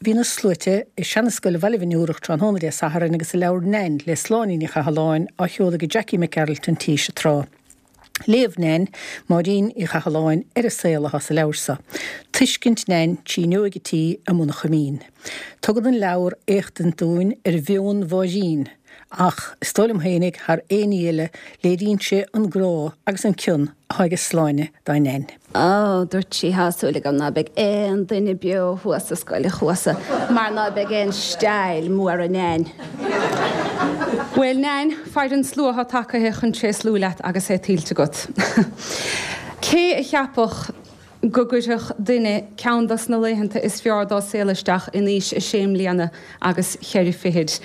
Bhí na sluaite i Seana-Scoil Bhaile Mhiniúrach tráthnóna Dé Sathairn agus a leabhar Nain le Sláine Ní Chathalláin á sheoladh ag Jackie Mac Gearailt an tSíosa Trá. Léamh Nain, Máirín Uí Chathalláin, ar an saol atá sa leabhar seo. Tuiscint Nain trí fhuinneoig a tí i mBun an Choimín. Tugann an leabhar éachtaint dúinn ar mheon Mháirín ach, is dóigh liom fhéinig, thar aon ní eile, léiríonn sé an grá agus an cion atá aige Sláine dá Nain. Ó, dúirt sí, thá súil agam ná beidh aon duine beo thuas sa scoil a chuasa mar ná beidh aon steall mura Neain. Bhuel, Neain, faire an slua atá tagaithe chun tréaslú leat agus é tuillte agat. Cé a cheapfadh go gcuirfeadh duine ceann dos na laethanta is fearr dá saol isteach in aois a sé mbliana agus cheithre fichid?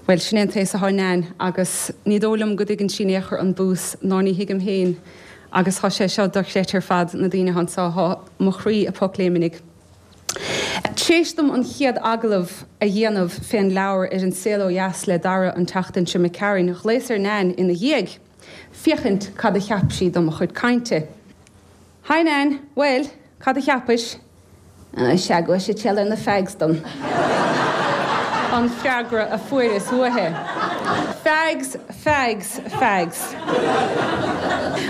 Bhuel, sin é an t-aos atá Neain agus ní dóigh liom go dtuigeann sí in aon chor an bús ná ní thuigim féin Agus thá sé seo dochreidte ar fad, na daoine athá anso, thá mo chroí ag pocléimnigh. Tréis dom an chéad agallamh a dhéanamh fén leabhar ar An Saol Ó Dheas le Dara an tseachtain seo imigh tharainn, ghlaos ar Nain ina dhiaidh, féachaint cad a cheap sí do mo chuid cainte. Hi Nain, bhuel, cad a cheapais? Sea, go bhfuil siad ar na fags dom. An freagra a fuaireas uaithi. Fags, fags, fags.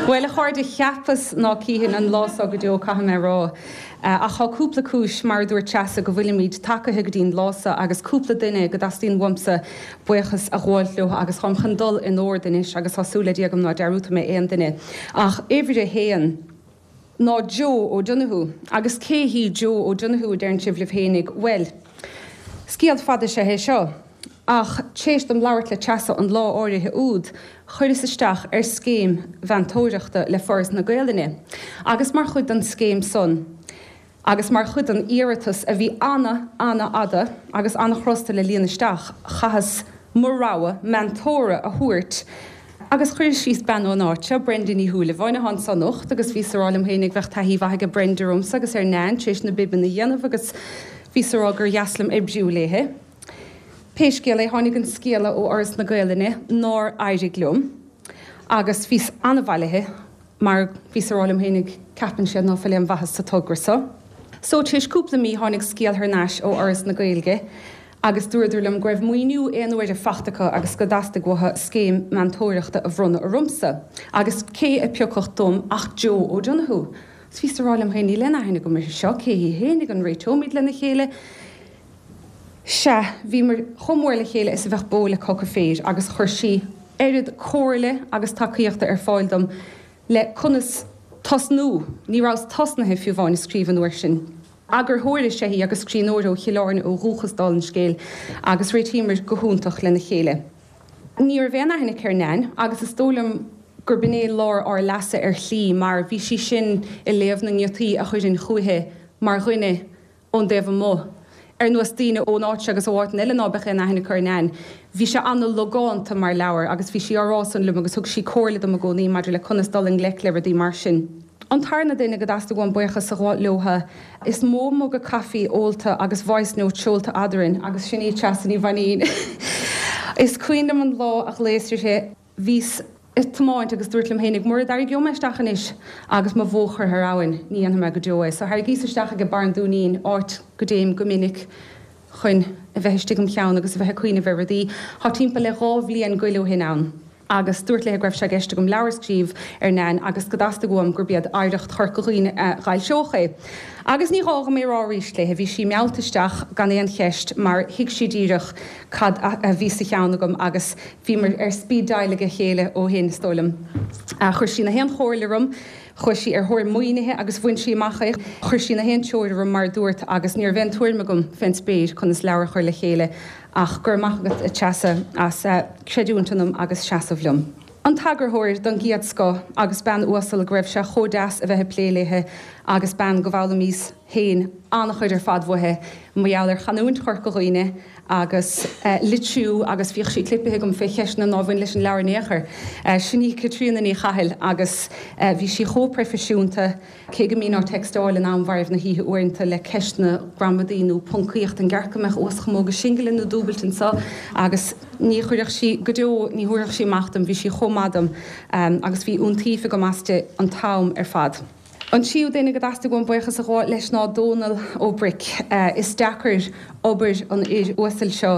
Bhuel, a chairde, cheapas ná cífinn an lá so go deo, caithfidh mé a rá. Ach thá cúpla cúis, mar a dúirt Treasa, go bhfuilimíd tagaithe go dtí'n lá so agus cúpla duine go dteastaíonn uaimsa buíochas a ghabháilt leo agus táim chun dul in ord anois agus tá súil le Dia agam ná dearúdfaidh mé aon duine. Ach uimhir a haon. ná Joe O'Donoghue. Agus cé hí Joe O'Donoghue, a deireann sibh libh fhéinig? Bhuel, scéal fada is ea é seo. Ach tréis dom labhairt le Treasa an lá áirithe úd, chuireas isteach ar scéim mheantóireachta le Foras na Gaelainne. Agus mar chuid den scéim san, Agus mar chuid den iarratas, a bhí ana, ana-fhada agus ana-chrosta le líon isteach, chaitheas mo rogha meantóra a thabhairt agus chuireas síos bean ón áit seo, Brenda Ní Shúilleabháin, atá anso anocht agus bhíos a rá liom féinig bheadh taithí mhaith aige Brenda ormsa agus ar Nain tar éis na bibeanna a dhéanamh agus bhíos a rá gur dheas liom oibriú léithe. Pé scéal é, tháinig an scéala ó Fhoras na Gaelainne nár éirigh liom agus bhíos ana-bhailithe. Mar bhíos a rá liom fhéinig, ceapann siad ná fuil aon mhaitheas sa togra so. So, tar éis cúpla mí, tháinig scéal thar n-ais ó Fhoras na Gaeilge agus dúradar liom go raibh maoiniú aon uaire fachta acu agus go dteastaigh uathu scéim meantóireachta a bhronnadh ormsa. Agus cé a piocfadh dom ach Joe O'Donoghue. 'S bhíos a rá liom féin, níl aon aithne agam uirthi seo, cé hí fhéinig, an réiteoimid lena chéile? Sea, bhíomar chomh mór le chéile is a bheadh bó le coca féir agus chuir sí oiread comhairle agus tacaíochta ar fáil dom le conas tosnú, ní rabhas tosnaithe fiú amháin ag scríobh an uair sin. Eagarthóir is ea í agus scríbhneoir ó Chill Airne ó dhúchas dála an scéil agus réitíomar go hiontach lena chéile. Ní raibh aon aithne aici ar Nain agus is dóigh liom gurb in é lár ár leasa ar shlí mar bhí sí sin ag léamh na ngiotaí a chuirfinn chúiche mar dhuine ón dtaobh amuigh, ar nós daoine ón áit seo agus ó áiteanna eile ná beadh aon aithne acu ar Nain. Bhí sé ana-logánta mar leabhar agus bhí sí á rá san liom agus thug sí comhairle dom i gcónaí maidir le conas dul i ngleic le rudaí mar sin. An tarna duine go dteastaigh uaim buíochas a ghabháil leotha, is mó muga caife ólta agus voice note seolta eadrainn agus sin í Treasa Ní Mhainín. Is cuimhin liom an lá a ghlaos uirthi. Bhíos ag tiomáint agus dúirt liom fhéinig, mura dtarraingeoidh mé isteach anois agus mo bhó curtha ar abhainn, ní dhéanfaidh mé go deo é. So tharraingíos isteach ag barr an Dúinín, áit go dtéim go minic chun a bheith istigh im cheann agus a bheith ag cuimhneamh ar rudaí. Thá timpeall le 2 bhliain goil ó shin ann. Agus dúirt léithe go raibh sé i gceist agam leabhar a scríobh ar Nain agus go dteastaigh uaim gurb iad Oidhreacht Chorca Dhuibhne a dh'fhoilseodh é. Agus ní gá dhom é rá arís léithe, bhí sí meallta isteach gan aon cheist mar thuig sí díreach cad a bhí sa cheann agam agus bhíomar ar speed dial ag a chéile ó shin, is dóigh liom. Chuir sí na haon chomhairle orm, chuaigh sí ar thóir maoinithe agus bhain sí amach é. Chuir sí na haon treoir orm mar a dúrt agus ní raibh aon tuairim agam fén spéir conas leabhar a chur le chéile ach go raibh maith agat a Treasa as creidiúint ionam agus seasamh liom. An t-eagarthóir don gcéad scoth agus bean uasal go raibh sé chomh deas a bheith ag plé léithe agus bean go bhfoghlaimíos féin an-chuid ar fad uaithi mar gheall ar chanúint Chorca Dhuibhne agus litriú agus bhíodh sí clipithe agam fé cheisteanna nár bhain leis an leabhar in aon chor. Sin í Caitríona Ní Chathail agus bhí sí chomh proifisiúnta, cé go mbínn á textáil in am mharbh na hoíche uaireanta le ceisteanna gramadaí nó poncaíocht, an gceart go mbeadh uaschamóga singile nó dúbailte anseo agus ní chuirfeadh sí, go deo, ní thabharfadh sí amach dom, bhí sí chomh maith dom agus bhí iontaoibh agam aisti an t-am ar fad. An tríú duine go dteastaigh uaim buíochas a ghabháil leis ná Dónal Ó Bric. Is deacair obair an fhir uasail seo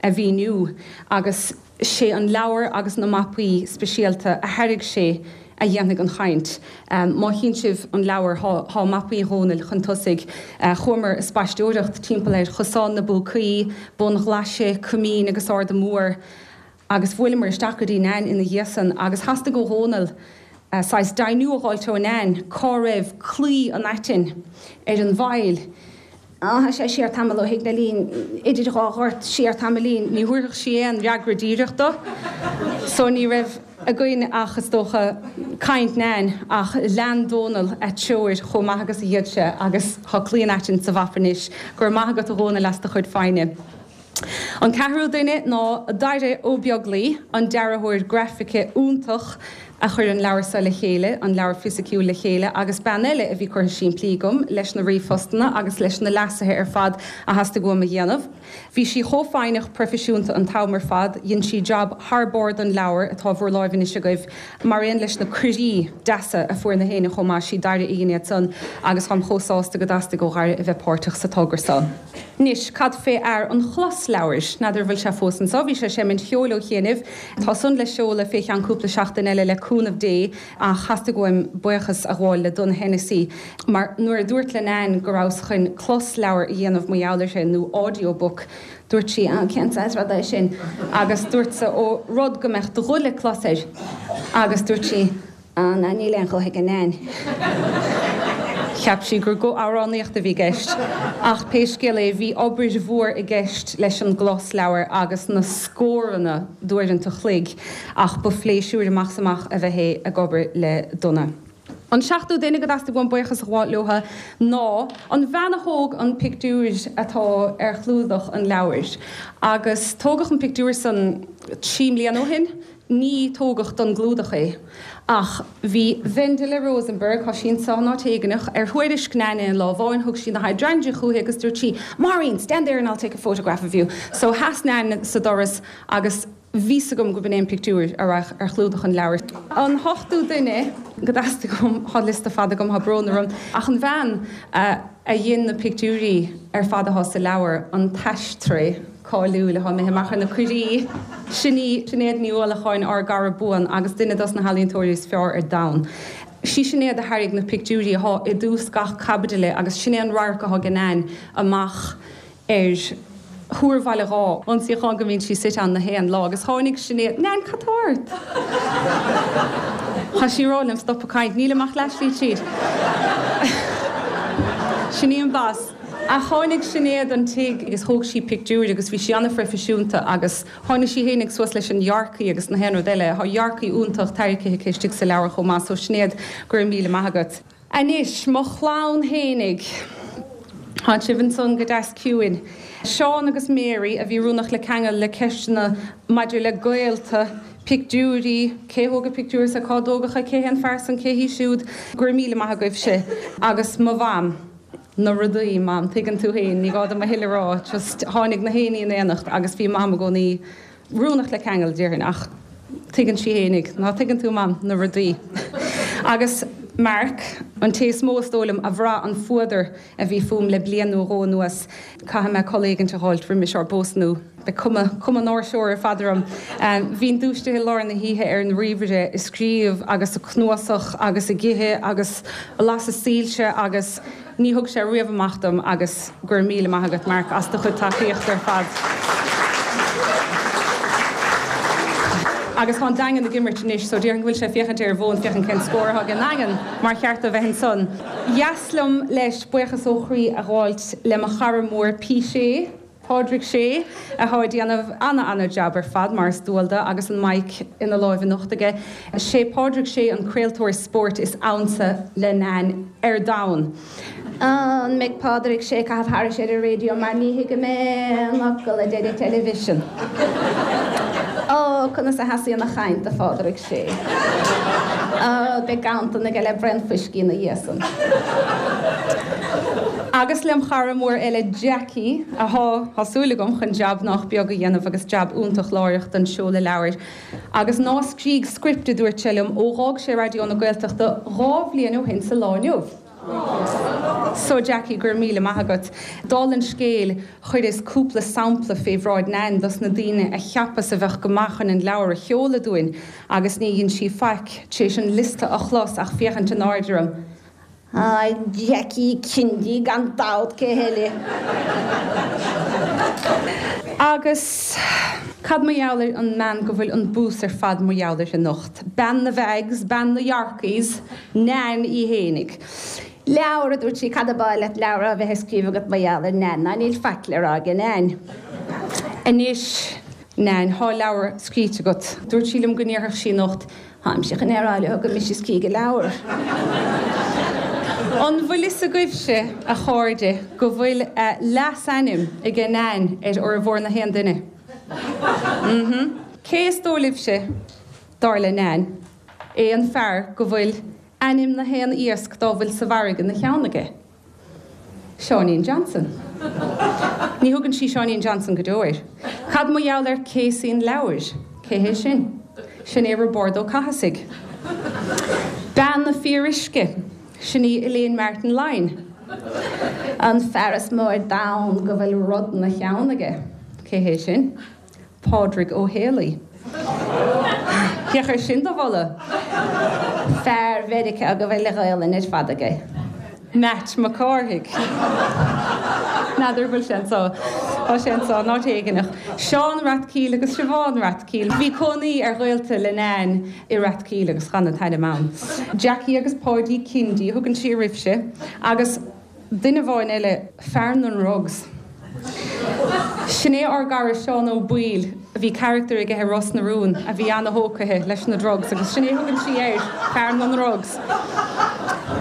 a mhíniú agus sé an leabhar agus na mapaí speisialta a thairg sé a dhéanfaidh an chaint. Má chíonn sibh an leabhar thá mapaí Dhónaill chun tosaigh. Chuamar a spaisteoireacht timpeall ar Chosán na bPúcaí, Bun Ghlaise, Coimín agus Arda Mór. Agus bhuaileamar isteach go dtí Nain ina dhiaidh san agus theastaigh ó Dhónal saghas deimhniú a dh'fháilt ó Nain cá raibh claí an aitinn ar an bhfaill. Á, tá sé siar tamall ó Thigh Neilín, idir dhá ghort, siar tamaillín. Ní thabharfadh sí aon fhreagra díreach do, so ní raibh againn ach, is dócha, caint Nain, ach lean Dónal a treoir chomh maith agus a d'fhéad sé agus tá claí an aitinn sa mhapa anois. Go raibh maith agat a Dhónaill as do chuid foighne. An ceathrú duine ná Daire Ó Beaglaoi, an dearthóir grafaice iontach a chuir an leabhar seo le chéile, an leabhar fisiciúil le chéile, agus bean eile a bhí curtha simplí agam leis na ríomhphostanna agus leis na leasuithe ar fad a theastaigh uaim a dhéanamh. Bhí sí chomh foighneach proifisiúnta an t-am ar fad, dhein sí jab thar barr don leabhar atá bhur láimh anois agaibh, mar aon leis na cuirí deasa a fuair na héinne chomh maith, sí Daire a dhein iad san agus táim chomh sásta go dteastaigh ó Dhaire a bheith páirteach sa togra seo. Anois, cad fé fhear an chlosleabhair? N'fheadar an bhfuil sé fós anso? Bhí sé ag seimint cheoil ó chianaibh. Tá san le seoladh fé cheann cúpla seachtain eile le cúnamh Dé, ach theastaigh uaim buíochas a ghabháil le Donagh Hennessy, mar nuair a dúrt le Nain go rabhas chun closleabhar a dhéanamh mar gheall uirthi, nó audio book, dúirt sí, ah, cén saghas ruda é sin? Agus dúrtsa, ó, rud go mbeadh do ghuth le clos air. Agus dúirt sí. Ah, ná níl aon ghuth ag an Nain. Cheap sí gur guth amhránaíochta a bhí i gceist. Ach pé scéal é, bhí obair mhór i gceist leis an gclosleabhar agus na scóranna d'uaireanta chloig, ach ba phléisiúr amach is amach a bheith é ag obair le Donagh. An seachtú duine go dteastaigh uaim buíochas a ghabháil leotha ná an bhean a thóg an pictiúr atá ar chlúdach an leabhair. Agus tógadh an pictiúr san trí mbliana ó shin. Ní tógadh don gclúdach é, ach bhí Wendela Rosenberg, tá sí anso in áit éigineach, ar thuairisc Nain aon lá amháin, thug sí na hydrangea chúithi agus dúirt sí, Maureen, stand there and I'll take a photograph of you. So sheas Nain sa doras agus bhí 's agam go b'in é an pictiúr a raibh ar chlúdach an leabhair. An t-ochtú duine go dteastaigh uaim, tá liosta fada agam, tá brón orm, ach an bhean a. a dhein na pictiúirí ar fad athá sa leabhar, an t-aistray cáiliúil athá imithe amach ar na cuirí, sin í Sinéad Ní Uallacháin, ár gcara buan agus duine dos na healaíontóirí is fearr ar domhan. Sí Sinéad a thairrig na pictiúirí athá i dtús gach caibidile agus sin é an radharc athá ag Nain amach ar Thúr Bhaile Dháith, an suíochán go mbíonn sí suite ann na haon lá, agus tháinig Sinéad, Nain, cad tá ort? Tá sí ag rá liom stop ag caint, nílim ach leathshlí tríd. Sin í an boss. Ach tháinig Sinéad an tigh agus thóg sí pictiúir agus bhí sí an-phroifisiúnta agus tháinig sí fhéinig suas leis an dhearcaí agus na haon rud eile. Tá dhearcaí iontach tairgthe aici istigh sa leabhar chomh maith, so Sinéad, go raibh míle maith agat. Anois, mo chlann fhéinig. Tá sibh ansan go deas ciúin. Seán agus Mary a bhí oiriúnach le ceangal le ceisteanna maidir le gaolta, pictiúirí, cé thóg an pictiúr so, cá dtógadh é, cé hé an fear san, cé hí siúd. Go raibh míle maith agaibhse. Agus mo mham. Na rudaí, Mam, tuigeann tú fhéin, ní gá dom a thuilleadh a rá, just tháinig na héinní in éineacht agus bhí Mam i gcónaí oiriúnach le ceangal, déarfainn, ach tuigeann sí fhéinig, ná tuigeann tú, Mam, na rudaí. Agus Mark, an té is mó is dóigh liom a bhraith an fuadar a bhí fúm le bliain nó dhó anuas, caithfidh mé codladh éigint a dh'fháilt roimis ár bpósadh nó beidh cuma, cuma an áirseora ar fad orm. Bhínn dúisithe i lár na hoíche ar an ríomhaire ag scríobh agus ag cnuasach agus ag ithe agus ag lasadh soilse agus. Ní thug sé riamh amach dom agus go raibh míle maith agat Mark as do chuid tacaíochta ar fad. Agus tá an Daingean ag imirt anois so déarfainn go bhfuil sé ag féachaint ar an bhfón féachaint cén scór atá ag an nDaingean mar cheart dó bheith ansan. Dheas liom leis buíochas ó chroí a ghabháilt le mo chara mór P. Shea. Pádraig Shea, athá ag déanamh ana-ana-jab ar fad, mar is dual do, agus an mic ina láimh anocht aige. Sé Pádraig Shea an craoltóir spóirt is ansa le Nain ar domhan. An mbeidh Pádraig Shea ag caitheamh thairis ar an raidió mar ní thuigim aon fhocal a deir an television. Ó, conas a sheasaíonn a chaint do Phádraig Shea. Ó, beidh ganntan aige le braon fuiscí ina dhiaidh san. Agus lem chara mór eile Jackie, athá, tá súil agam, chun jab nách beag a dhéanamh agus jab iontach láithreach don seoladh leabhair. Agus ná scrígh script, a dúirt sé liom, ó dh'fhág sé Raidió na Gaeltachta 2 bhliain ó shin sa lá inniu. So Jackie, go raibh míle maith agat. Dála an scéil, chuireas cúpla sampla fé bhráid Nan dos na daoine a cheapas a bheadh go maith chun an leabhar a sheoladh dúinn agus ní dhein sí faic tar éis an liosta a chlos ach féachaint in airde orm. Á, Jackie Kennedy gan dabht, cé heile? Agus cad mar gheall ar an mbean go bhfuil an bús ar fad mar gheall uirthi anocht? Bean na bhfags, bean na Yorkies, Nan í fhéinig. Leabhar, a dúirt sí, cad ab áil leat leabhar a bheith á scríobh agat mar gheall ar Nan, ná níl faic le rá aige Nan. Anois, Nan, thá leabhar scríte agat. Dúirt sí liom go ndéarfadh sí anocht, Táimse chun é a rá leo gur mise a scrígh an leabhar. An bhfuil fhios agaibhse, a chairde, go bhfuil leasainm aige Nan ar fhormhór na haon duine? Mm-hmm. Cé is dóigh libhse, dar le Nan, é an fear go bhfuil ainm na haon iasc dá bhfuil sa bhfarraige 'na cheann aige? Seáinín Johnson. Ní thugann sí Seáinín Johnson go deo air. Cad mar gheall ar Casey an leabhair? Cé hé sin? Sin é Roibeárd Ó Cathasaigh. Bean na fíoruisce. Sin í Elaine Martin Lyne. An fear is mó ar domhan go bhfuil rud 'na cheann aige. Cé hé sin? Pádraig Ó Héalaí. Féach air sin do mholadh! Fear Mheiriceá go bhfuil a Ghaolainn ar fad aige. Matt Mac Cárthaigh. N'fheadar an bhfuil sé anso. Tá sé anso, in áit éigineach. Seán Rathkeale agus Siobhán Rathkeale. Bhí cónaí ar ghaolta le Nan i Rathkeale agus chan an t-ainm ann. Jackie agus Páidí Kindy a thugann sí oraibhse. Agus. Duine amháin eile, fear na ndrugs. Sin é ár gcara Seán Ó Baoill, bhí carachtar aige i Ros na Rún a bhí ana-thógtha leis na drugs agus sin é a thugann sí air, fear na ndrugs.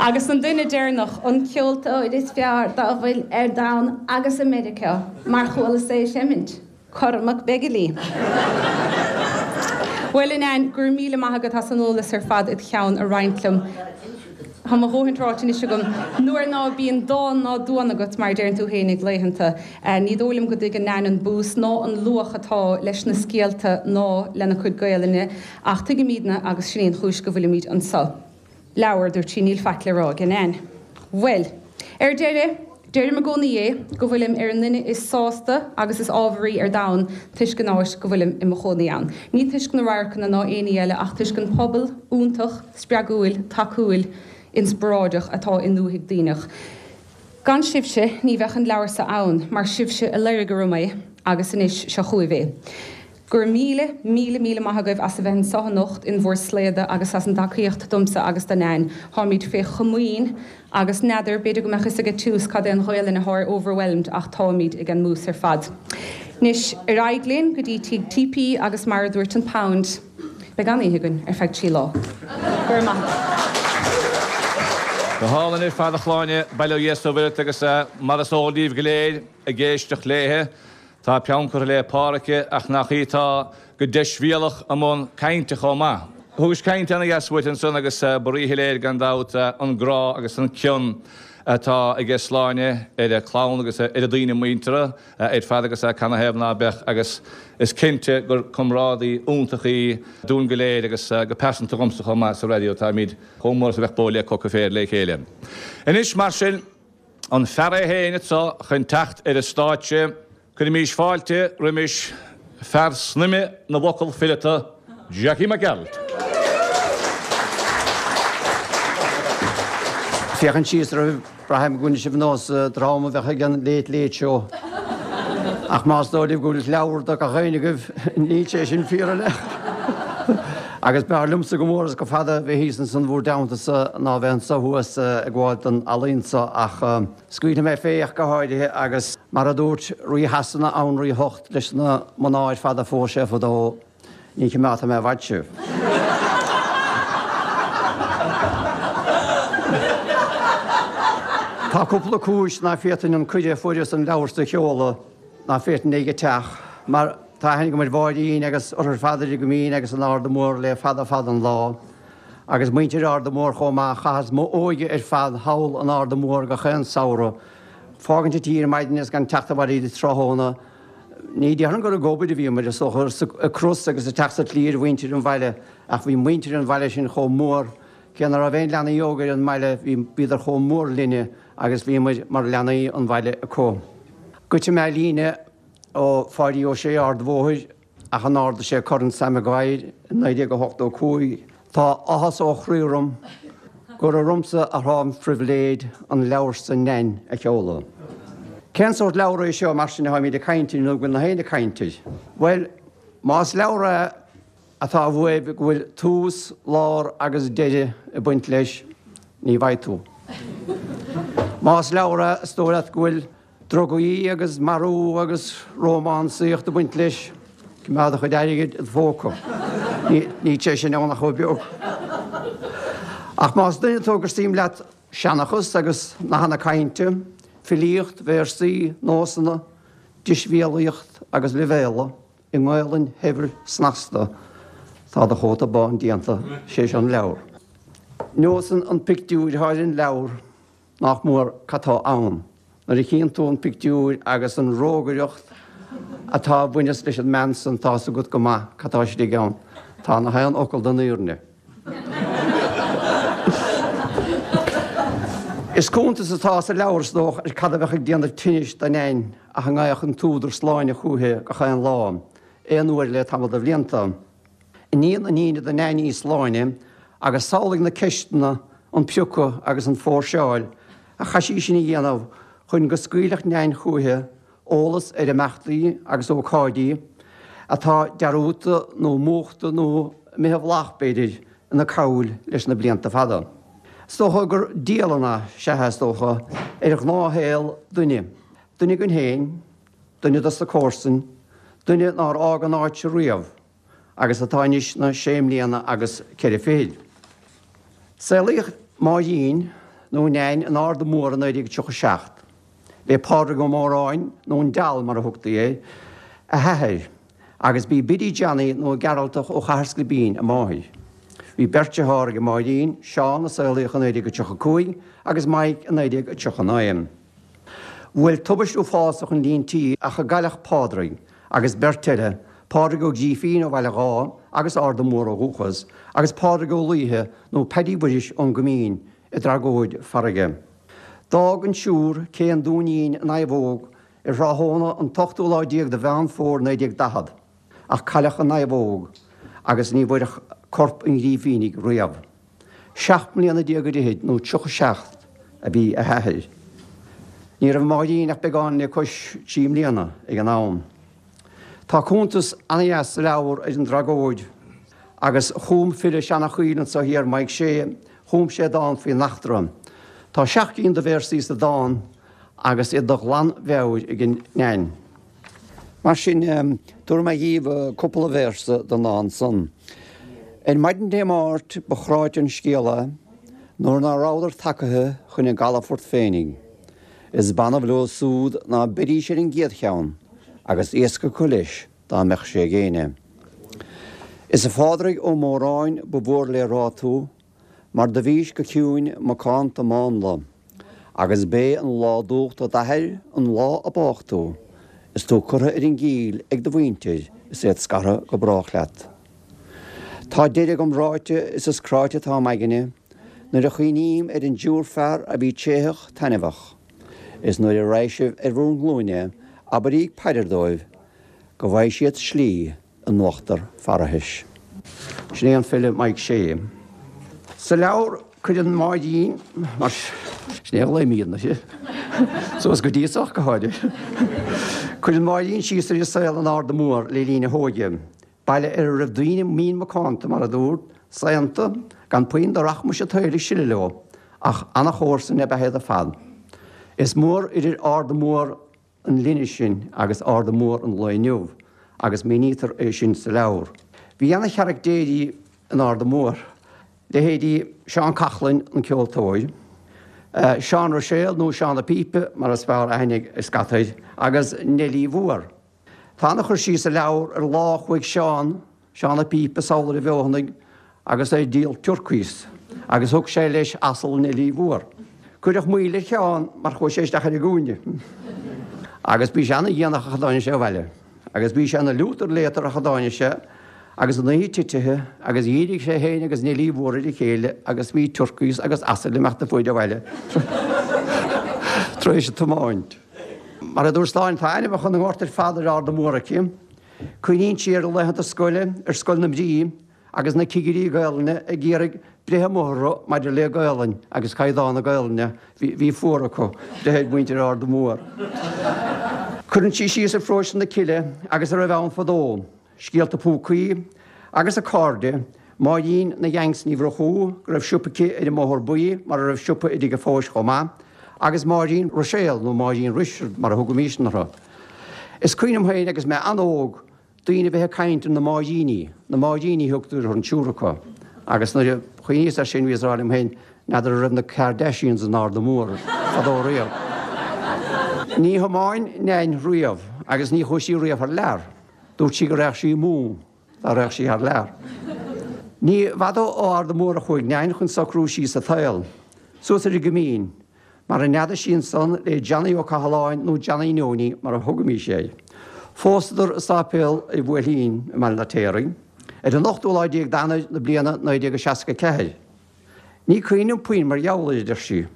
Agus an duine deireanach, an ceoltóir is fearr dá bhfuil ar domhan agus i Meiriceá, mar chualas é ag seimint. Cormac Begley. Bhuel, a Nan, go raibh míle maith agat as an eolas ar fad id cheann a roinnt liom. Tá mo dhóthaint ráite anois agam. Nuair ná bíonn dán ná duan agat, mar a deireann tú fhéinig laethanta, ní dóigh liom go dtuigeann Nan an bús ná an luach atá leis na scéalta ná lena cuid Gaelainne, ach tuigimídne agus sin í an chúis go bhfuilimíd anso. Leabhar, dúirt sí, níl faic le rá ag Nan. Bhuel, ar deireadh, deirim i gcónaí é, go bhfuilim ar an nduine is sásta agus is ámharaí ar domhan toisc an áit go bhfuilim i mo chónaí ann. Ní toisc na radharcanna ná aon ní eile ach toisc an pobal iontach, spreagúil, tacúil, inspioráideach atá i nDúthaigh Duibhneach. Gan sibhse, ní bheadh an leabhar seo ann, mar sibhse a loirg orm é agus anois seo chugaibh é. Go raibh míle, míle, míle maith agaibh as a bheith anso anocht in bhur slaoda agus as an dtacaíocht domsa agus do Nan. Táimid fé chomaoin agus n'fheadar, b'fhéidir go mbeadh fhios aige Tús cad é an Ghaolainn athá ar overwhelmed ach táimid ag an mbús ar fad. Anois, ar aghaidh linn go dtí Tigh TP agus mar a dúirt an Pound, beidh an-oíche againn ar feadh 3 lá. Go raibh maith agat. Go hálainn ar fad a Shláine, bail ó Dhia is ó Mhuire ort agus mar is eol daoibh go léir ag éisteacht léithe, Tá peann curtha le pár aici ach nach í atá go deisbhéalach i mbun cainte chomh maith. Thugais caint ana-dheas uait ansan agus ba ríshoiléir gan dabht an grá agus an cion atá aige Sláine ar a clann agus ar a daoine muinteartha ar fad agus canathaobh ná beadh agus is cinnte gur comrádaí iontach í dúinn go léir agus go pearsanta dhomsa chomh maith sa raidió táimid chomh mór is a bheadh bó le coca féir le chéile. Anois mar sin. An fear é féin anso chun teacht ar an stáitse, cuirimís fáilte roimis fear snaidhme na bhfocal fileata, Jackie Mac Gearailt. Féachaint síos oraibh, braithim go bhfuil sibh ar nós dream a bheadh ag an Late Late Show. Ach más dóigh libh go bhfuil leabhar do gach éinne agaibh, níl sé sin fíor in aon chor. Agus b'fhearr liomsa go mór is go fada bheith thíos ansan bhúr dteannta-sa ná bheith anso thuas ag gabháil don ealaín so, ach scaoilfidh mé fé ach go háirithe, agus mar a dúirt Rí Shasana Anraí a hOcht leis na mná ar fad a phós sé fadó, ní chimeádfaidh mé i bhfad sibh. Tá cúpla cúis ná féadfainn an cuireadh a fuaireas an leabhar so a sheoladh, ná féadfainn ag an teach, mar tá aithne agam ar Mháirín agus orthu ar fad ar Mhín agus in Arda Mór le fada fada an lá, agus muintir Arda Mór chomh maith. Chaitheas m'óige ar fad thall in Arda Mór gach aon samhradh. Fágaint an tí ar maidin is gan teacht abhaile go dtí tráthnóna. Ní déarfainn gur ag obair a bhíomair, is dócha, ag cros agus ag teacht sa tslí ar mhuintir an bhaile ach bhí muintir an bhaile sin chomh mór, cé ná raibh aon leanaí óga ar an mbaile, bhí, bhíodar chomh mór linne agus bhíomair mar leanaí an bhaile acu. Goidfidh mé líne ó Pháidí Ó Sé Ard an Bhóthair ach an ardaigh sé Corn Sam Maguire i 1985. Tá áthas ó chroí orm gur ormsa atá an phribhléid an leabhar san Nain a sheoladh. Cén sórt leabhar é seo mar sin atáimid ag caint air nó go bhfuil na héinne ag caint air? Bhuel, más leabhar é atá uaibh go bhfuil tús, lár agus deireadh ag baint leis, ní bhfaighidh tú. Más leabhar é is dóigh leat go bhfuil Drugaí agus marú agus rómánsaíocht ag baint leis. Coimeád do chuid airgid i do phóca. Níl sé sin ann ach chomh beag. Ach más duine tú gur suim leat seanchas agus nathanna cainte, filíocht, véarsaí, nósanna, deisbhéalaíocht agus leibhéala i nGaelainn shaibhir snasta, tá do chóta bán déanta, sé seo an leabhar. Neosann an pictiúr atá ar an leabhar Nach mór cad tá ann nuair a chíonn tú an pictiúr agus an rógaireacht atá a bhaineas leis an mbean san tá's agat go maith cad tá istigh ann. Tá na haon fhocal den fhírinne. Is cuntas atá sa leabhar is dócha ar cad a bheadh ag déanamh tinnis do Nain ach a ngeigheadh an t-údar Sláine chúithi gach aon lá, aon uair le tamall de bhlianta. Iníon iníne do Nain í Sláine agus samhlaigh na ceisteanna, an priocadh agus an phóirseáil a chaith sí sin a dhéanamh chun go scaoilfeadh Nain chúithi eolas ar imeachtaí agus ócáidí atá dearúdta nó múchta nó imithe i bhflach, b'fhéidir, ina cabhail leis na blianta fada. Is dócha gur dialann é, sea, is dócha, ar ghnáthshaol duine, duine againn féin, duine dos na comharsain, duine nár fhág an áit seo riamh agus atá anois 'na sé mbliana agus ceithre fichid. Saolaíodh Máirín, nó Nain, in Ard Mór i 1937. B'é Pádraig Ó Móráin, nó an Deal mar a thugtaí air, a hathair, agus b'í Biddy Johnny nó Gearaltach ó Chathair Sclibín a máthair. Bhí beirt dearthár ag Máirín, Seán a saolaíodh i 1935 agus Mike i 1939. Bhuail tubaist uafásach an líon tí ach a gcailleadh Pádraig agus beirt eile, Pádraig Ó Grífín ó Bhaile Dháith agus Ard Mór ó dhúchas, agus Pádraig Ó Laoithe nó Paddy Mhuiris ón gCoimín, i dtragóid farraige. D'fhág an tSiúr cé an Dúinín i Naomhóg ar thráthnóna an t-ochtú lá déag de Mheán Fómhair 1940, ach cailleadh i Naomhóg agus ní bhfuaireadh corp an Ghrífínigh riamh. 17 mbliana d'fhichid nó 37 a bhí a hathair. Ní raibh Máirín ach beagán le cois 3 mbliana ag an am. Tá cuntas ana-dheas sa leabhar ar an dtragóid agus chum file Seanachoill anso thiar, Mike Shea, chum sé dán faoin eachtra. Tá seacht gcinn de véarsaí sa dán agus iad de ghlanmheabhair ag an Nain. Mar sin, tabharfaidh mé dhíbh cúpla véarsa den dán san. Ar maidin Dé Máirt ba chráite an scéal é nuair ná rabhadar tagaithe chun a gcalafoirt féinig. Is b'annamh leo súd ná beidís ar an gcéad cheann agus iasc acu leis dá mbeadh sé ag éinne. Is a Phádraig Ó Móráin ba mhór le rá tú mar do bhís go ciúin macánta mánla. Agus b'é an lá d'uacht d'athair an lá a bádh tú, is tú curtha ar an gcill ag do mhuintir is iad scartha go brách leat. Tá deireadh agam ráite is is cráite atá m'aigne nuair a chuimhním ar an dtriúr fear a bhí tréitheach taitneamhach, is nuair a raghaidh sibh ar bhur nglúine abrairíg paidir dóibh go bhfaighidh siad slí in uachtar pharthais. Sin é an file Mike Shea. Sa leabhar cuireann Máirín, mar sin é a ghlaoimid uirthi, suas go dtí ach go háirithe, cuireann Máirín síos ar a saol in Ard Mór le linn a hóige, baile ar a raibh daoine mín macánta, mar a dúrt, saonta, gan puinn de rachmais an tsaoil ag sileadh leo, ach ana-chomharsain ab ea iad ar fad. Is mór idir Ard Mór an linne sin agus Ard Mór an lae inniu agus mínítear é sin sa leabhar. Bhí ana-charaictéirí in Ard Mór, leithéidí Seán Coughlan, an ceoltóir, Seán Ruiséal nó Seán a' Phípe mar is fearr aithne air scata, agus Neilí Mhór. Tá ana-chur síos sa leabhar ar lá a chuaigh Seán, Seán a' Phípe sall ar an bhFeothanaigh agus é ag díol turkeys agus thug sé leis asal Neilí Mhór. Cuireadh moill ar Sheán mar chuaigh sé isteach ar an gcúinne. Agus bhí sé ana-dhéanach ach a dtáinig sé abhaile. Agus bhí sé ina liútar léatar ach a dtáinig sé agus an oíche titithe agus dhírigh sé féin agus Neilí Mhór ar a chéile agus bhí turcaí agus asail ag imeacht fuaid abhaile tar éis an tiomáint. Mar a dúirt Sláine, tá ainmneacha na ngort ar fad ar Arda Mór aici. Cuimhníonn sí ar a laethanta scoile ar Scoil na Mrí agus na cigirí Gaelainne ag iarraidh breith amuigh orthu maidir le Gaelainn agus caighdeán na Gaelainne, bhí fuar acu breith ar mhuintir Arda Mór. Cuireann sí síos ar pharóiste na Cille agus a raibh ann fadó, scéalta púcaí agus a cairde, Máirín na Yanks Ní Mhurchú, go raibh siopa aici ar an mBóthar Buí mar a raibh siopa i dtigh a' Phóis chomh maith, agus Máirín Ruiséal nó Máirín Risteard mar a thugaimísne uirthi. Is cuimhin liom féin agus mé an-óg, daoine a bheith ag caint ar na Máiríní, na Máiríní a thugtar orthu, an triúr acu, agus nuair a chuimhníos air sin bhíos ag rá liom féin, n'fheadar an raibh na Kardashians in Arda Mór fadó riamh. Ní thiomáin Nain riamh agus ní chuaigh sí riamh thar lear. Dúirt sí go raghadh sí amú dá raghadh sí thar lear. Ní bhfada ó Arda Mór a chuaigh Nain chun socrú síos sa tsaol, suas ar an gCoimín, mar a neadaigh sí ansan le Johnny Ó Cathaláin nó Johnny Neoiní mar a thugaimís air. Phósadar i sáipéal an Bhuailtín i mBaile an Fheirtéaraigh ar an ochtú lá déag d'Eanáir na bliana 1964. Ní cuimhin liom puinn mar gheall air, a deir sí,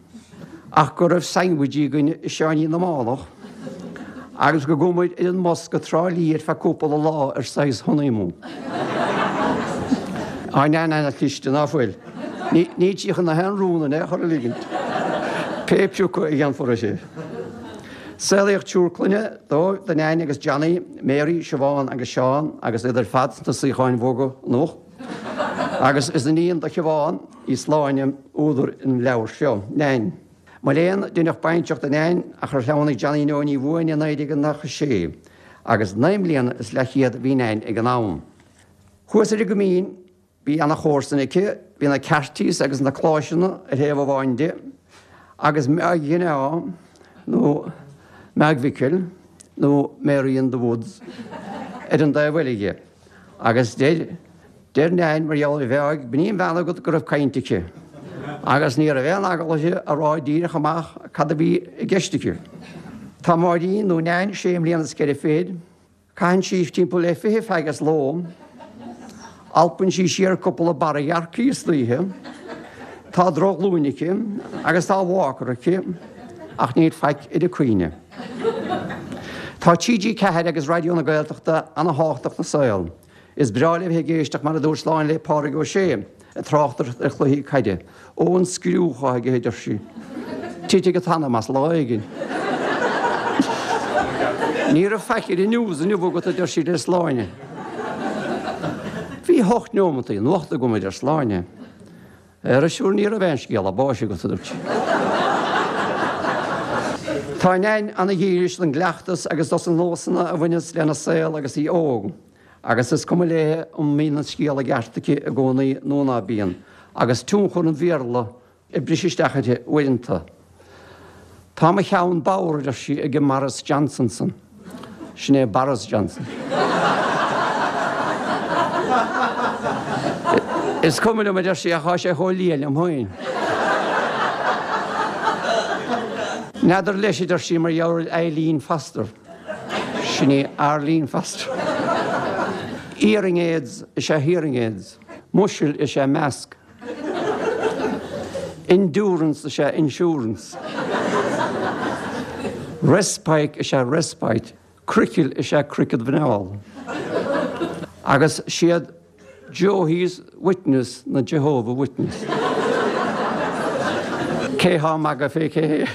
ach go raibh sandwich againn i Seáinín na Mánach agus go gcuamair ar an mbus go Trá Lí ar feadh cúpla lá ar saghas honeymoon. Tá Nain ana-chliste, ná fuil? Níl sí chun aon rún in aon chor a ligint, pé piocadh a dhéanfar uirthi. Saolaíodh triúr clainne dóibh, do Nain agus Johnny, Mary, Siobhán agus Seán, agus iad ar fad sna suíocháin bhoga anocht. Agus is iníon do Shiobhán í Sláine, údar an leabhair seo, Nain. Mo léan, deineadh bainseach de Nain ach ar shleamhnaigh Johnny Neoiní uainn i 1996, agus naoi mbliana is leathchéad a bhí Nain ag an am. Thuas ar an gCoimín, Bhí ana-chomharsain aici, bhí na Cartys agus na Cláiseanna ar thaobh amháin di, agus Meaig Ghineá, nó Meaig Mhicil, nó Mary in the Woods, ar an dtaobh eile dhi. Agus deir, deir Nain mar gheall ar Mheáig, b'in í an bhean agat go raibh caint aici. Agus ní raibh aon eagla uirthi a rá díreach amach cad a bhí i gceist aici. Tá Máirín, nó Nain, sé mbliana is ceithre fichid. Caitheann sí timpeall le 20 fag sa ló, alpann sí siar cúpla barra gearrcaigh istoíche, tá drochghlúin aici agus tá walker aici ach níl faic ar a cuimhne. Tá TG4 agus Raidió na Gaeltachta ana-thábhachtach 'na saol. Is breá léi a bheith ag éisteacht mar a dúirt Sláine le Pádraig Ó Sé ag tráchtaireacht ar chluichí caide. Ó an scriú atá aige a deir sí. Titfidh an t-anam as lá éigin. Ní raibh faic ar an news inniu agat a deir sí le Sláine. Bhí hocht neomataí nuachta agam a deir Sláine. Ara sure ní raibh aon scéala báis agat a dúirt sí. Tá Nain ana-dhílis don gcleachtas agus dos na nósanna a bhaineas lena saol agus í óg. Agus is cuma léi an mbíonn an scéal i gceart aici i gcónaí nó ná bíonn, agus tionchar an Bhéarla ag briseadh isteach uirthi uaireanta. Tá mo cheann bodhar, a deir sí, ag an mBarras Johnson san. Sin é Boris Johnson. Is cuma liom, a deir sí, ach tá sé chomh liath liom féin. N'fheadar leis, a deir sí, mar gheall ar Eileen Foster. Sin í Arlene Foster. Earring aids is ea hearing aids. Mushel is ea mask. Endurance is ea insurance. Respike is ea respite. Croiceall is ea cricead mhuineál. Agus siad Jehovah's Witness ná Jehovah Witness. Cé thá ag magadh fé cé hé?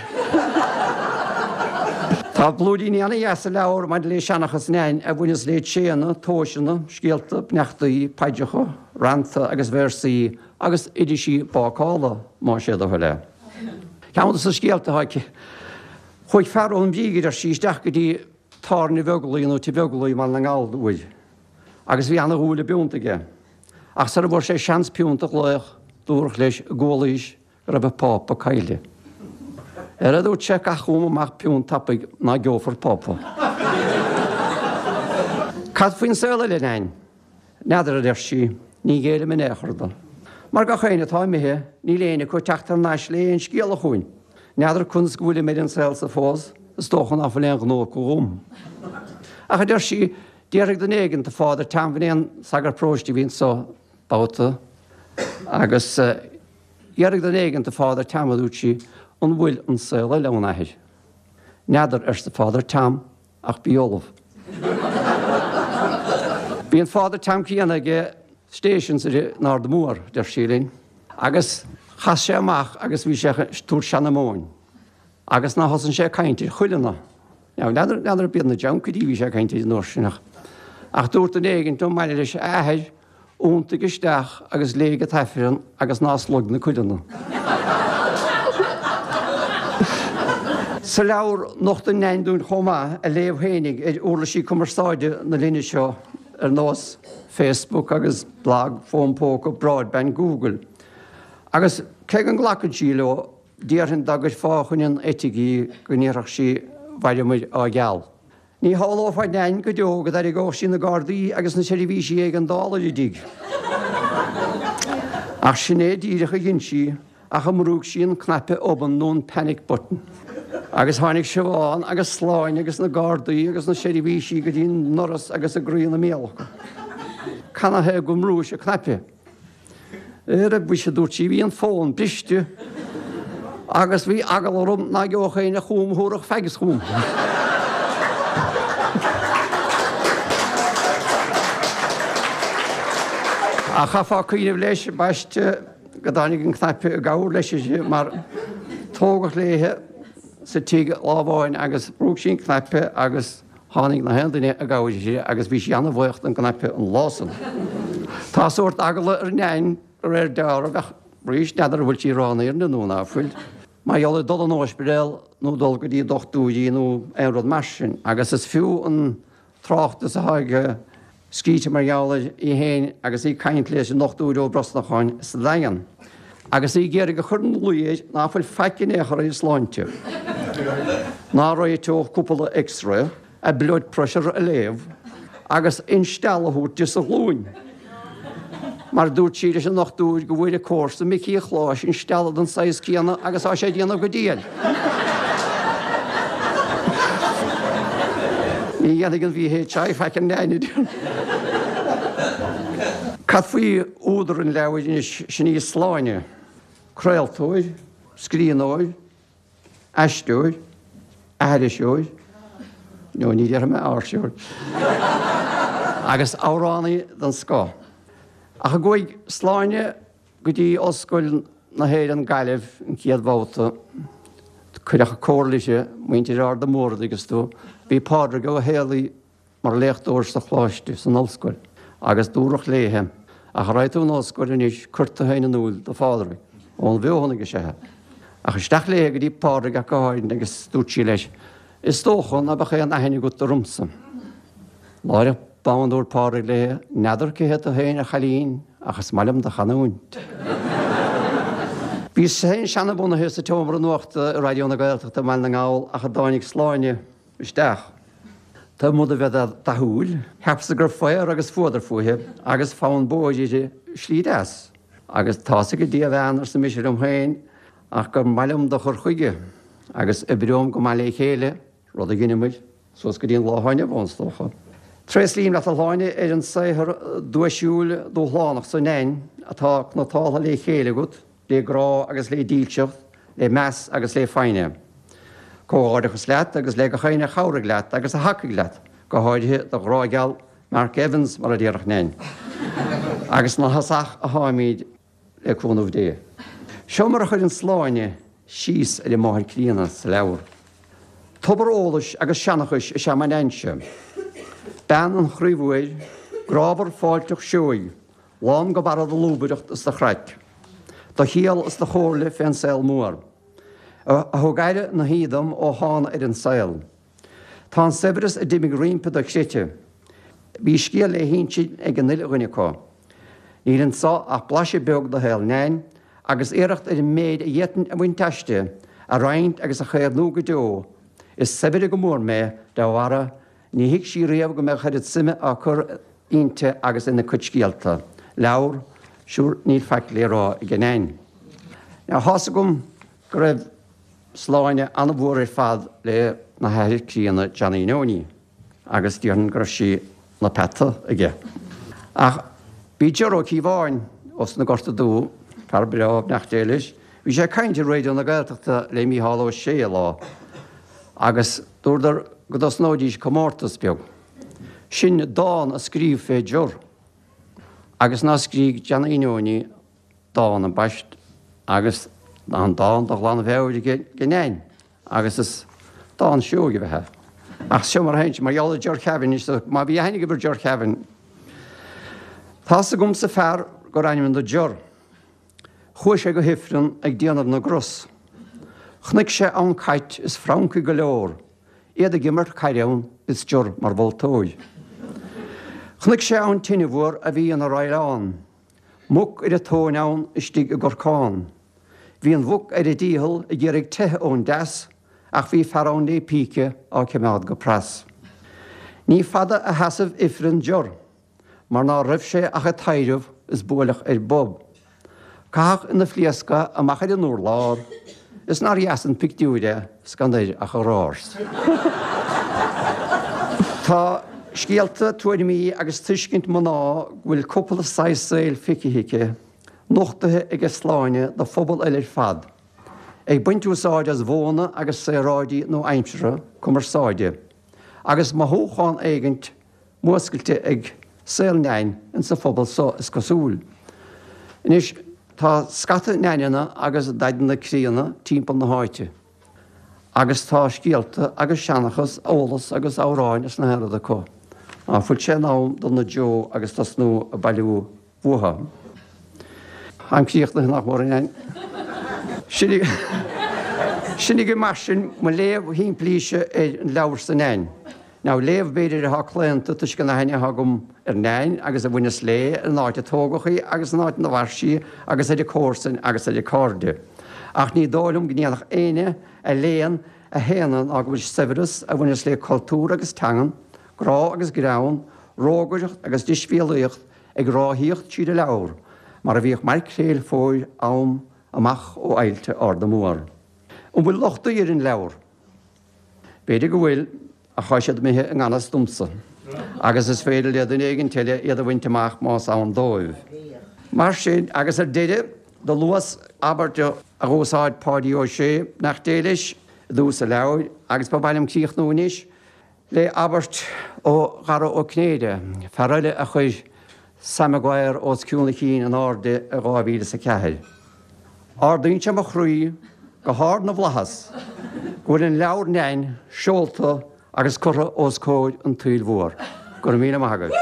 Tá blúiríní ana-dheas sa leabhar maidir le seanchas Nain a bhaineas le tréanna, tomhaiseanna, scéalta, beannachtaí, paidreacha, rannta agus véarsaí agus oideasí bácála, más é do thoil é. Ceann de na scéalta atá aici, Chuaigh fear ón Mhíg, a deir sí, isteach go dtí tábhairne Bheaglaoí nó Tigh Bheaglaoí i mBaile na nGall uair. Agus bhí ana-dhúil i bpiúnt aige. Ach sara bhfuair sé seans piúnt a ghlaoch, dúradh leis go gcualaís go raibh an Pápa caillte. Ar a dúirt sé, caith chugam amach piúnt tapaidh ná geofar Pápa. Cad faoin saol eile, a Nain? N'fheadar, a deir sí, ní ghéillim in aon chor do. Mar gach éinne atá imithe, níl éinne acu ag teacht thar n-ais le aon scéala chugainn. N'fheadar conas go bhfuilim ar an saol so fós, is dócha ná fuil aon ghnó acu dhom. Ach, a deir sí, d'fhiafraigh duine éigin de Father Tom, b'in é an sagart paróiste a bhí anso babhta, agus d'fhiafraigh duine éigin de Father Tom, a dúirt sí, an bhfuil an saol eile ann, a athair? N'fheadar, arsa Father Tom, ach bí ullamh. Bhí an Father Tom céanna ag station in Ard Mór, deir sí linn, agus chas sé amach agus bhí sé ag tabhairt seanamóin agus ná thosaíonn sé ag caint ar chuileanna. Now, n'fheadar, n'fheadar ab iad na juncairí a bhí sé ag caint ar an uair sin ach, ach dúirt duine éigin ón mbaile leis, a athair, Iontaigh isteach agus léigh an tAifreann agus ná slog na cuileanna. Sa leabhar, nochtann Nain dúinn chomh maith a léamh fhéinig ar uirlisí cumarsáide na linne seo ar nós Facebook agus blog, fón póca, broadband, Google. Agus cé go nglacann sí leo, déarfainn dá gcuirfeá fá choinne an eitigh í go ndéarfadh sí mhaireamair á gceal. Ní shamhlófá Nain go deo go dtarraingeodh sí na Gardaí agus na seirbhísí éigeandála ar a dtigh. Ach sin é díreach a dhein sí, ach a mbrúigh sí an cnaipe obann nó an panic button. Agus tháinig Siobhán agus Sláine agus na Gardaí agus na seirbhísí go dtí an ndoras agus a gcroí ina mbéal acu. Canathaobh gur mbrúis an cnaipe? Ara mhuise, a dúirt sí, bhí an fón briste agus bhí eagla orm ná gheobhadh éinne chugam a thabharfadh fags chugam. Ach chaithfeá cuimhneamh leis, ambaiste, go dtáinig an cnaipe i gcabhair leis uirthi mar tógadh léithe sa tigh lá amháin agus bhrúigh sí an cnaipe agus Tháinig na haon duine i gcabhair uirthi agus bhí sí ana-bhuíoch don gcnaipe an lá san. Tá sórt eagla ar Neain de réir dealraimh ach arís n'fheadar an bhfuil sí ag rá an fhírinne nó ná fuil. Mar gheall ar dul in ospidéal nó dul go dtí dochtúirí nó aon rud mar sin agus is fiú an tráchtas atá aici scríte mar gheall air í féin agus í ag caint leis an nDochtúir Ó Brosnacháin sa Daingean agus í ag iarraidh a chur ina luí air ná fuil faic in aon chor ar a sláinte, ná réiteodh cúpla X-ray, a blood pressure a léamh agus instealladh a thabhairt di sa ghlúin. Mar dúirt sí leis an ndochtúir go bhfuair a comharsa Micí Chláis instealladh den saghas céanna agus tá sé ag déanamh go diail. Ní dhéanfaidh an VHI faic ar Neain, a deir. Cad faoi údar an leabhair anois, sin í Sláine, craoltóir, scríbhneoir, aisteoir, aithriseoir, nó ní déarfaidh mé áirseoir, agus amhránaí den scoth. Ach a gcuaigh Sláine go dtí Ollscoil na hÉireann Gaillimh an chéad bhabhta, cuireadh comhairle uirthi, muintir Arda Mór, an dtuigeanns tú. Bhí Pádraig Ó Héalaí mar léachtóir sa choláiste, san ollscoil, agus dúradh léithe, ach a raghaidh tú 'on ollscoil anois, cuir tú féin in iúl do Phádraig. Ón bhFeothanaigh is ea é. Ach isteach léithe go dtí Pádraig ach go háirithe agus dúirt sí leis, Is dócha ná beadh aon aithne agat ormsa. Láithreach bonn dúirt Pádraig léithe, N'fheadar cé hé tú féin, a chailín, ach is maith liom do chanúint. Bhíos féin seanabhunaithe sa tseomra nuachta i Raidió na Gaeltachta i mBaile na nGall ach a dtáinig Sláine isteach. Taobh amuigh de bheith dathúil, cheapas-sa go raibh faobhar agus fuadar fúithi agus fonn bóthair uirthi slí deas. Agus tá's ag Dia a bhean, arsa mise liom féin, ach gur maith liom do chur chuige, agus oibreoim go maith le chéile, rud a dheineamair suas go dtí an lá atá inniu ann, is dócha. Tréaslaím leat a Shláine ar an saothar duaisiúil dúshlánach so Neain atá cniotáilte le chéile agat, le grá agus le dílseacht, le meas agus le foighne. Comhghairdeachas leat agus le gach éinne a chabhraigh leat agus a thacaigh leat, go háirithe do ghrá geal Mark Evans, mar a déarfadh Neain. Agus ina thosach atáimid le cúnamh Dé. Seo mar a chuireann Sláine síos ar a máthair críonna sa leabhar. Tobar eolais agus seanchais is ea mo Neainse. Bean an chroí mhóir, grámhar fáilteach seoigh, Lán go barra de lúbaireacht is de chraic. De chiall is de chomhairle fén saol mór. A thug aire na haoi dom ó thána ar an saol. Tá an saibhreas a d'imigh roimpi dochreidte. Bhí scéal le hinsint ag an uile dhuine acu. Níl anso ach blaiseadh beag de shaol Neain agus iarracht ar an méid a d'fhéadfainn a bhaint aisti a roinnt agus a chaomhnú go deo. Is saibhre go mór mé dá bharra Ní thuig sí riamh go mbeadh oiread suime á cur inti agus ina cuid scéalta, leabhar, sure níl faic le rá ag Neain. Now thá's agam go raibh. Sláine an-mhór ar fad le na hathair críonna Johnny Neoiní agus déarfainn go raibh sí 'na peata aige. Ach bhí Ger Ó Cíobháin ós na Gorta Dubha, fear breá, beannacht Dé leis, bhí sé ag caint ar Raidió na Gaeltachta le Mícheál Ó Sé lá agus dúradar go dtosnóidís comórtas beag. Sin dán a scríobh fé Ger agus ná scrígh Johnny Neoiní dán ambaist agus an dán de ghlanmheabhair aige do Neain agus is dán seoigh a bheadh é. Ach seo mar a théann sé, mar gheall ar Ger Kevin, is má bhí aithne agaibh ar Ger Kevin, tá's agamsa fear gur ainm do Ger. Chuaigh sé go hIfreann ag déanamh na gcros. Chonaic sé ann cait is francaigh go leor, iad ag imirt caide ann is Ger mar mholtóir. Chonaic sé ann tine mhór a bhí ina roileán. Muc ar a tóin ann istigh i gcorcán. Bhí an mhuc ar a dícheall ag iarraidh teitheadh ón dteas ach bhí fear ann lé píce á cimeád go pras. Ní fada a sheasaimh Ifreann Ger mar ná raibh sé ach ag taidhreamh is buaileadh air bob. Caitheadh ina phléasc é amach ar an urlár is nár dheas an pictiúr é 's gan air ach a dhrárs. Tá scéalta, tuairimí agus tuiscint mná go bhfuil cúpla saghas saoil feicthe aici, nochtaithe aige Sláine do phobal eile ar fad, ag baint úsáid as mhodhanna agus saoráidí nua-aimseartha cumarsáide, agus mothúchán éigint múscailte ag saol Neain insa phobal so, is cosúil. Anois, tá scata Neaineanna agus Daideanna críonna timpeall na háite, agus tá scéalta agus seanchas, eolas agus amhráin is na haon rud acu. Ná fuil sé in am dul 'na dtreo agus tosnú ag bailiú uathu? Táim críochnaithe, nach mór, a Neain. Sin agaibh mar sin mo léamh shimplíse ar an leabhar so Neain. Now, léamh b'fhéidir atá claonta toisc an aithne atá agam ar Neain agus a bhaineas léi, ar an áit a tógadh í agus an áit ina mhair sí agus ar a comharsain agus ar a cairde. Ach ní dóigh liom go ndéanfadh éinne a léann a shéanadh ná go bhfuil saibhreas a bhaineas le cultúr agus teangan, grá agus greann, rógaireacht agus deisbhéalaíocht ag ráthaíocht tríd an leabhar mar a bhíodh maircréil fóir am amach ó aillte Arda Mór. An bhfuil lochtaí ar an leabhar? B'fhéidir go bhfuil, ach tá siad imithe i ngan fhios domsa, agus is féidir le duine éigint eile iad a bhaint amach más ann dóibh. Mar sin, agus ar deireadh, do luas abairt a dh'úsáid Páidí Ó Sé, beannacht Dé leis, i dtús an leabhair, agus ba mhaith liom críochnú anois le abairt ó Dhara Ó Cinnéide, fear eile a chuir Sam Maguire os cionn a chinn in airde i 2004. Ardaíonn sé mo chroí go hard na bhflaitheas go bhfuil an leabhar Neain seolta agus curtha os comhair an tsaoil mhór. Go raibh míle maith agaibh.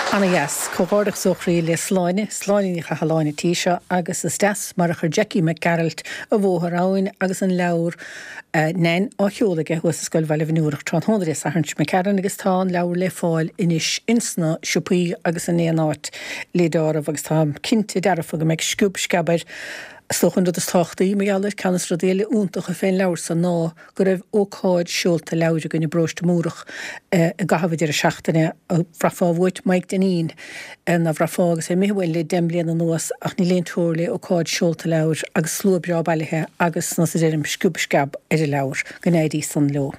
Ana dheas. Comhghairdeachas ó chroí le Sláine, Sláine Ní Chathalláin an tí seo agus is deas mar a chuir Jackie Mac Gearailt a bhóthar ann agus an leabhar Neain á sheoladh aige thuas i Scoil Bhaile Bhinn Órach tráthnóna Dé Sathairn seo imigh tharainn agus tá an leabhar le fáil anois ins na siopaí agus in aon áit le deáramh agus táim cinnte dearfa go mbeidh sciob sceab air. Is dócha an rud is tábhachtaí mar gheall air, ceann des na rudaí eile iontacha fén leabhar so ná go raibh ócáid seolta leabhair againn i bParóiste Múrach i gcaitheamh an deireadh seachtaine. Bhraithfeá uait Mike Dineen, ná bhraithfeá agus é imithe uainn le deich mbliana anuas ach níl aon teora le ócáid seolta leabhair agus slua breá bailithe agus, nós a deirim, sciob sceab ar an leabhar. Go n-éirí san leo.